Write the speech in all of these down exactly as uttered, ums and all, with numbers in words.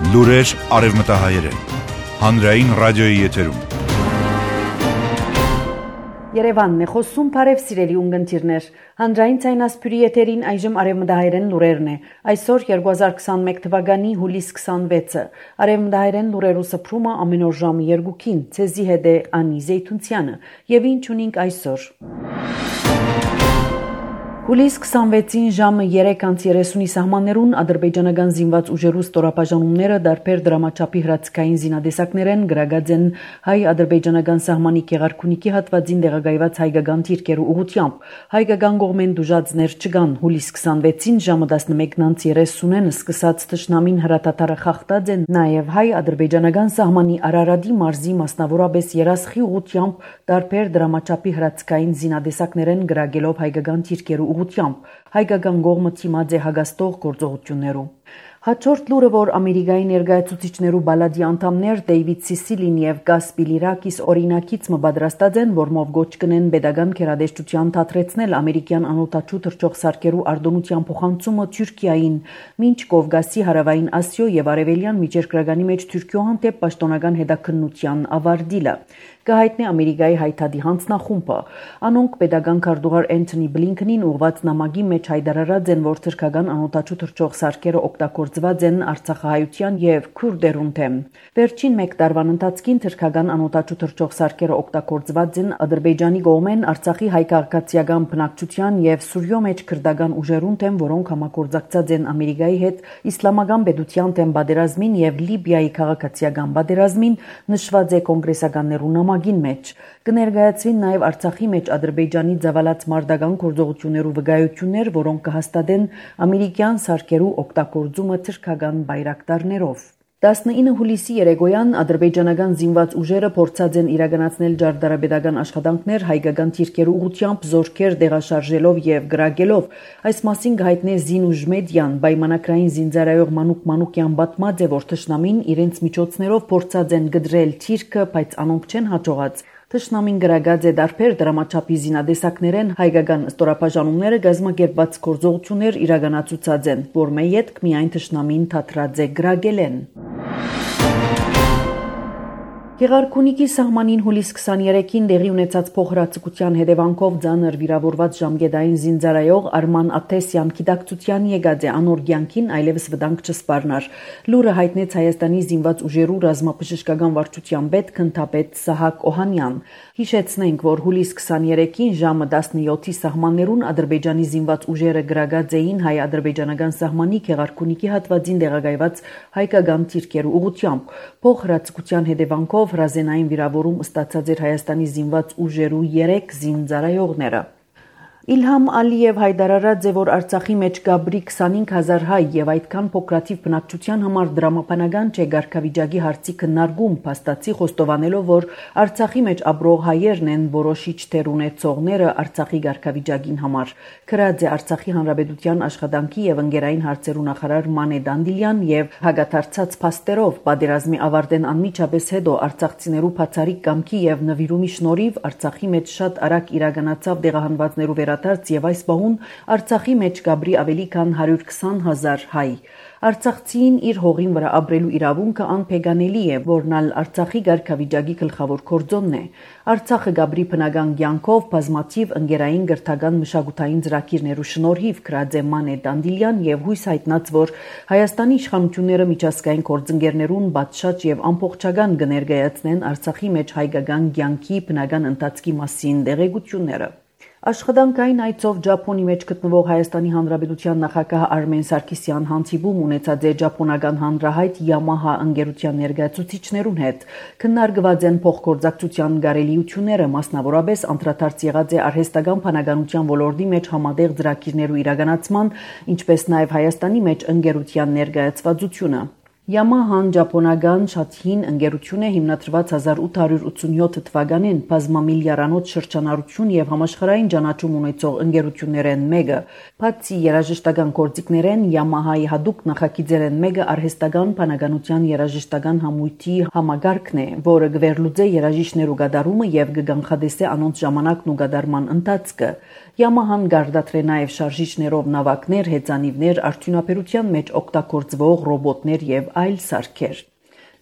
Լուրեր արևմտահայերեն։ Հանրային ռադիոյի եթերում։ Երևանն է խոսում, բարև սիրելի ունգընտիրներ։ Հանրային ցայնասպյուրի եթերին այժմ արևմտահայերեն լուրերն է։ Այսօր երկու հազար քսանմեկ թվականի հուլիս քսանվեցը։ Արևմտահայերեն լուրերու սփռումը ամեն օր ժամը երկուքին։ Ցեզի հետ է Անի Զեյթունցյանը։ Եվ ինչ ունենք այսօր։ Հուլիս քսանվեցին ժամը երեք անց երեսունի սահմաններուն ադրբեջանական զինված ուժերու ստորապաժանումները դարբեր դրամաչափի հրացքային զինադեսակներ են գրագած են հայ-ադրբեջանական սահմանի Գեղարքունիքի հատվածին տեղակայված հայկական թիրքերու ուղղությամբ։ Հայկական կողմեն դուժածներ չկան։ Հուլիս քսանվեցին ժամը տասնմեկն անց երեսունեն սկսած թշնամին հրատատարը խախտած են նաև հայ-ադրբեջանական սահմանի Արարատի մարզի մասնավորապես Երասխի ուղղությամբ դարբեր դրամաչափի հրացքային զինադեսակներ են գրագելով հայկական թիրքերու հայկական կողմը թիմած է հագաստող գործողություններու։ Հաջորդ լուրը, որ Ամերիկայի ներկայացուցիչներու բալադի անդամներ Դեյվիդ Սիսիլին եւ Գաս Բիլիրակիս օրինակից մը պատրաստած են, որմով գոչ կնեն pedagogan քերադեշտության թատրեցնել ամերիկյան անօտաչու թռչող սարքերու արտոնության փոխանցումը Թուրքիային, մինչ Կովկասի հարավային Ասիո եւ արևելյան միջերկրականի մեջ Թուրքիո հանդեպ պաշտոնական հետաքննության ավարտիլը։ Կհայտնի Ամերիկայի հայտարարի հանձնախումբը։ Անոնք pedagogan քարտուղար Էնթոնի Բլինքենին ուղված նամակի մեջ հայտարարած են, որ թուրքական անօտաչու թռչող սարքերը օգտագործված են արցախահայության եւ քուրդերուն դեմ։ Վերջին մեկ տարվան ընթացքին թուրքական անօտաչու թռչող սարքերը օգտագործված են Ադրբեջանի կողմեն Արցախի հայ-քաղաքացիական բնակչության եւ Սուրիո մեջ քրդական ուժերուն դեմ, որոնք համագործակցած են Ամերիկայի հետ իսլամական պետության դեմ պատերազմին եւ Լիբիայի քաղաքացիական պատերազմին, նշված է կոնգրեսականներու նամակին մեջ։ Կներկայացվին նաև Արցախի մեջ Ադրբեջանի ծավալած մարտական գործողություններու վկայություններ, որոնք կհաստատեն ամերիկյան սարքերու օգտագործումը թուրքական բայրակտարներով։ տասնինը հուլիսի երեկոյան ադրբեջանական զինված ուժերը փորձած են իրականացնել ջարդարապետական աշխատանքներ հայկական թիրքերու ուղղությամբ զորքեր տեղաշարժելով եւ գրագելով։ Այս մասին գայտնե Զինուժ մեդիան պայմանագրային զինծառայող Մանուկ Մանուկյան պատմած է, որ թշնամին իրենց միջոցներով փորձած են գդրել թիրքը, բայց անոնք չեն հաջողած։ Թշնամին գրագած է դարբեր դրամաչափի զինադեսակներեն հայկական ստորապաժանումները գազմագերբված գործողություններ իրականացուցած են, որ մեյետք միայն թշնամին թատրած է գրագել են։ Գեղարքունիքի սահմանին հուլիս քսաներեքին տեղի ունեցած փոխհրացակության հետևանքով ծանր վիրավորված ժամկետային զինծառայող Արման Աթեսյան գիտակցության եկած է անոր կյանքին այլևս վտանգ չսպառնար։ Լուրը հայտնեց Հայաստանի զինված ուժերու ռազմաբժշկական վարչության պետ քննադեպ Սահակ Օհանյան։ Հիշեցնենք, որ հուլիս քսաներեքին ժամը տասնյոթի սահմաններուն Ադրբեջանի զինված ուժերը գրագած էին հայ-ադրբեջանական սահմանի Գեղարքունիքի հատվածին տեղակայված հայկական թիրքերու ուղղությամբ։ Փոխհրացակության հետևանքով հրազենային վիրավորում ստացած էր Հայաստանի զինված ուժերու երեք զինծառայողները։ Իլհամ Ալիև հայտարարած է, որ Արցախի մեջ գաբրի քսանհինգ հազար հայ եւ այդքան փոքրաթիվ բնակչության համար դրամապանական չէ ղարքավիճակի հարցի քննարկում, փաստացի խոստովանելով, որ Արցախի մեջ ապրող հայերն են որոշիչ դեր ունեցողները Արցախի ղարքավիճակին համար։ Գրած է Արցախի Հանրապետության աշխատանքի եւ ընկերային հարցերու նախարար Մանե Դանդիլյան եւ հագաթարցած փաստերով պատերազմի ավարտեն անմիջապես հետո արցախցիներու բացառիկ կամքի եւ նվիրումի շնորհիվ Արցախի մեջ շատ արագ իրականացավ դեղահանվածներու վերադարձ եւ այս բահուն Արցախի մեջ գաբրի ավելի քան հարյուր քսան հազար հայ։ Արցախցին իր հողին վրա ապրելու իրավունքը անփեգանելի է, որն ալ Արցախի ղարքավիճակի գլխավոր կորձոնն է։ Արցախը գաբրի բնական կյանքով բազմաթիվ ընկերային գրթական մշակութային ծրագիրներու շնորհիվ գրած է Մանե Դանդիլյան եւ հույս հայտնած, որ Հայաստանի իշխանությունները միջազգային գործընկերներուն բացշաճ եւ ամբողջական կներկայացնեն Արցախի մեջ հայկական կյանքի բնական ընթացքի մասին տեղեկությունները։ Աշխատանքային այցով Ճապոնի մեջ գտնվող Հայաստանի Հանրապետության նախագահ Արմեն Սարգսյան հանդիպում ունեցած է ճապոնական հանրահայտ Yamaha ընկերության ներկայացուցիչներուն հետ։ Քննարկված են փոխգործակցության կարելիությունները, մասնավորապես անդրադարձ եղած է արհեստական բանականության ոլորտի մեջ համատեղ ծրագիրներու իրականացման, ինչպես նաև Հայաստանի մեջ ընկերության ներկայացվածությունը։ Yamaha-ն ճապոնական շատ հին ընկերություն է, հիմնադրված հազար ութ հարյուր ութսունյոթ թվականին, բազմամիլիարդանոց շրջանառություն եւ համաշխարհային ճանաչում ունեցող ընկերություններեն մեկը։ Բացի երաժշտական գործիքներեն Yamaha-ի հadoop նախագիծերեն մեկը արհեստական բանականության երաժշտական համույթի համագարկն է, որը գվերլուծե երաժիշտներու գդարումը եւ կգանխադեսե անոնց ժամանակն ու գդարման ընթացքը։ Yamaha-ն գարդատրե նաեւ շարժիչներով նավակներ, հեծանիվներ, արդյունաբերության մեջ օգտագործվող ռոբոտներ եւ այլ սարքեր։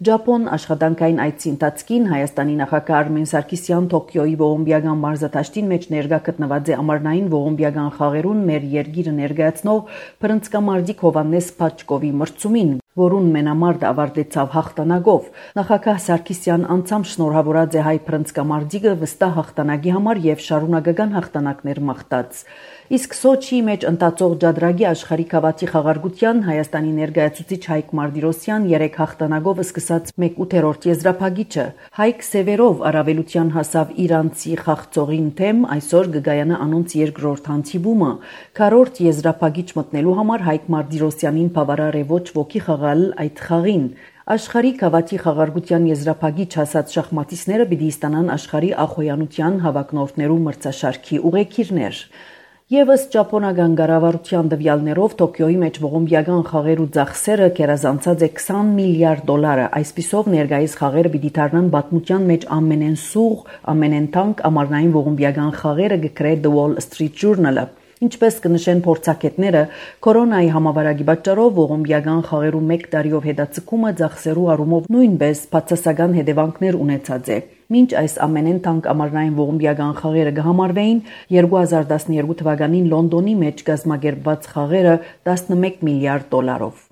Ճապոն աշխատանքային այցի ընթացքին Հայաստանի նախագահ Արմեն Սարգսյան Տոկիոյի ողոմբիական մարզադաշտին մեջ ներկա գտնված է ամառնային ողոմբիական խաղերուն մեր երկիրը ներկայացնող Փրնցկամարտիկ Հովհաննես Փաչկովի մրցումին, որուն մենամարտ ավարտեցավ հաղթանակով։ Նախագահ Սարգսյան անցամ շնորհավորած է հայ փրնցկամարտիկը վստահ հաղթանակի համար եւ շարունակական հաղթանակներ մաղթած։ Իսկ Սոչիի մեջ ընթացող ջադրագի աշխարհի քավաթի խաղարկության Հայաստանի ներկայացուցիչ Հայկ Մարտիրոսյան երեք հաղթանակով սկսած մեկ ութերորդ եզրափակիչը Հայկ Սևերով առավելության հասավ իրանցի խաղցողին թեմ, այսօր գգայանա անոնց երկրորդ հանդիպումը։ Քառորդ եզրափակիչ մտնելու համար Հայկ Մարտիրոսյանին բավարար է ոչ ոքի խաղալ այդ խաղին։ Աշխարհի քավաթի խաղարկության եզրափակիչ հասած շախմատիստները պիտի ստանան աշխարհի ախոյանության հավակնորդներու մրցաշարքի ուղեկիրներ։ Եվս ճապոնական կառավարության տվյալներով Տոկիոյի մեջ ողոմբիական խաղերու ծախսերը կերազանցած է քսան միլիարդ դոլարը, այսպիսով ներկայիս խաղերը պիտի դառնան պատմության մեջ ամենեն սուղ, ամենեն թանկ ամառնային ողոմբիական խաղերը գկրե The Wall Street Journal-ը։ Ինչպես կնշեն փորձագետները, կորոնայի համավարակի պատճառով ողոմբիական խաղերու մեկ տարիով հետաձգումը ծախսերու առումով նույնպես բացասական հետևանքներ ունեցած է։ Մինչ այս ամենեն թանկ ամառնային ողոմբիական խաղերը կհամարվեին երկու հազար տասներկու թվականին Լոնդոնի մեջ կազմակերպված խաղերը տասնմեկ միլիարդ դոլարով։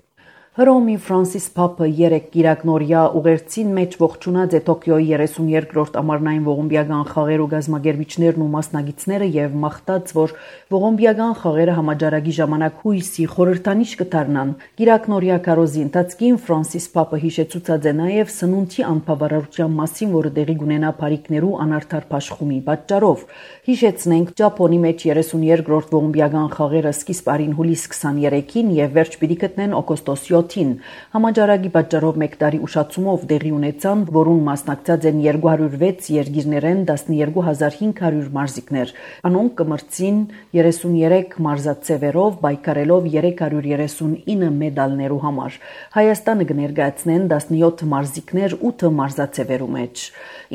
Հռոմի Ֆրանսիս Փապը երեք գիրակնորյա ուղերձին մեջ ողջունած է Տոկիոյի երեսունյերկրորդ ամառնային ողոմբիական խաղերու գազմագերբիչներն ու մասնագետները եւ մաղթած, որ ողոմբիական խաղերը համաճարակի ժամանակ հույսի խորհրդանիշ կդառնան։ Գիրակնորյա քարոզի ընթացքին Ֆրանսիս Փապը հիշեցուցած է նաեւ սնունդի անբավարարության մասին, որը տեղի կունենա բարիկներու անարդար փաշխումի պատճառով։ Հիշեցնենք, Ճապոնի մեջ երեսունյերկրորդ ողոմբիական խաղերը սկիզբ արին հուլիս քսաներեքին եւ վերջ պիտի գտնեն օգոստոս յոթին։ Համաճարակի պատճառով մեկ տարի ուշացումով տեղի ունեցան, որուն մասնակցած են երկու հարյուր վեց երկիրներեն տասներկու հազար հինգ հարյուր մարզիկներ։ Անոնք կմրցին երեսունյերեք մարզաձևերով, պայքարելով երեք հարյուր երեսունինը մեդալներու համար։ Հայաստանը կներկայացնեն տասնյոթ մարզիկներ ութ մարզաձևերու մեջ։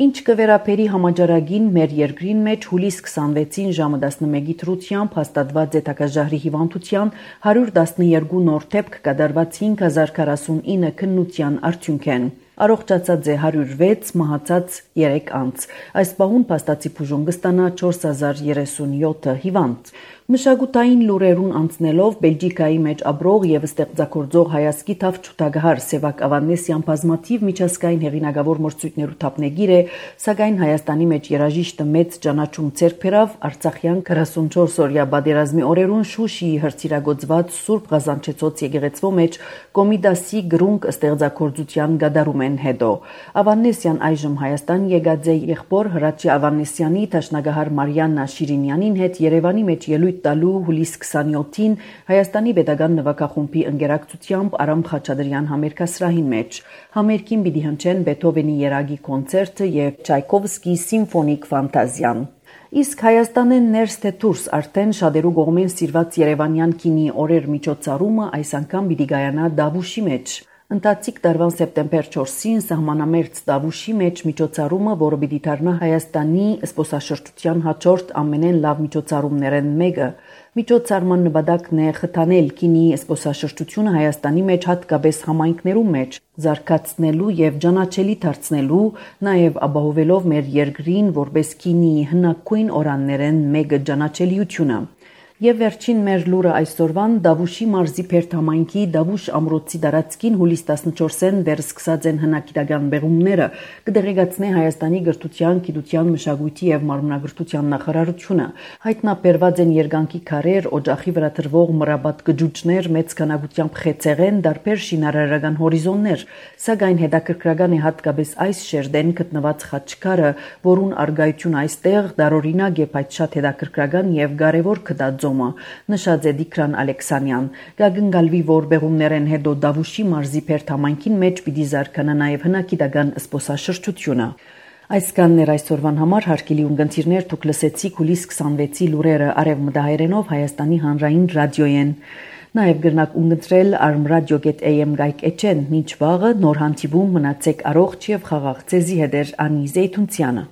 Ինչ կվերապերի համաճարակին մեր երկրին մեջ հուլիս քսանվեցին ժամը տասնմեկի դրությամբ հաստատված է թագաժահրի հիվանդության հարյուր տասներկու նոր դեպք կատարված հինգ հազար քառասունինը քննության արդյունքեն։ Առողջացած է հարյուր վեց, մահացած երեք անց։ Այս պահուն փաստացի բուժում կստանա չորս հազար երեսունյոթ հիվանդ։ Մշակութային լուրերուն անցնելով Բելգիկայի մեջ ապրող եւ ստեղծագործող հայացքի թավ ճուտագահար Սևակ Ավանեսյան բազմաթիվ միջազգային հեղինակավոր մրցույթներու թափնեգիր է, սակայն Հայաստանի մեջ երաժիշտը մեծ ճանաչում ձեռք բերավ Արցախյան քառասունչորս օրյա պատերազմի օրերուն Շուշիի հրցիրագործված Սուրբ Ղազանչեցոց եկեղեցվո մեջ Կոմիդասի գրունկ ստեղծագործության գդարումեն հետո։ Ավանեսյան այժմ Հայաստան եկած է եղբոր Հրաչի Ավանեսյանի տաշնագահար Մարիաննա Շիրինյանին հետ Երևանի մեջ ելույթ տալու հուլիս քսանյոթին Հայաստանի Պետական նվագախումբի ընկերակցությամբ Արամ Խաչատրյան համերգասրահին մեջ։ Համերգին պիտի հնչեն Բեթհովենի երագի կոնցերտը եւ Չայկովսկի սիմֆոնիկ ֆանտազիան։ Իսկ Հայաստանեն ներս թե դուրս արդեն շատերու կողմեն սիրված Երևանյան կինի օրեր միջոցառումը այս անգամ պիտի գայանա Դավուշի մեջ։ Ընթացիկ տարվան սեպտեմբեր չորսին սահմանամերձ Դավուշի մեջ միջոցառումը, որը պիտի դառնա Հայաստանի զբոսաշրջության հաջորդ ամենեն լավ միջոցառումներեն մեկը։ Միջոցառման նպատակն է խթանել կինի զբոսաշրջությունը Հայաստանի մեջ, հատկապես համայնքներու մեջ, զարգացնելու եւ ճանաչելի դարձնելու, նաեւ ապահովելով մեր երկրին որպես կինի հնագույն օրաններեն մեկը ճանաչելիությունը։ Եվ վերջին մեր լուրը այսօրվան Դավուշի մարզի Փերթ համայնքի Դավուշ ամրոցի տարածքին հուլիս տասնչորսին դեռ սկսած են հնագիտական բեղումները, կդեղեկացնե Հայաստանի գրթության, գիտության, մշակույթի եւ մարմնագրթության նախարարությունը։ Հայտնաբերված են երկանկի քարեր, օջախի վրա դրվող մրաբատ գջուջներ, մեծ քանակությամբ խեցեղեն, դարբեր շինարարական հորիզոններ, սակայն հետաքրքրական է հատկապես այս շերտեն գտնված խաչքարը, որուն արգայությունը այստեղ դարօրինակ է, բայց շատ հետաքրքրական եւ կարեւոր կդածո նշած է Դիկրան Ալեքսանյան։ Գագնգալվի որ բեղումներեն հետո Դավուշի մարզի Փերթ համայնքին մեջ պիտի զարգանա նաև հնագիտական զբոսաշրջությունը։ Այսքանն էր այսօրվան համար հարգելի ունգընտիրներ, դուք լսեցիք հուլիս քսանվեցի լուրերը արևմտահայերենով Հայաստանի հանրային ռադիոյեն։ Նաև գրնակ ունգընտրել armradio dot a m գայք էջեն, մինչ վաղը նոր հանդիպում մնացեք առողջ եւ խաղաղ ձեզի հետ Անի Զեյթունցյանը։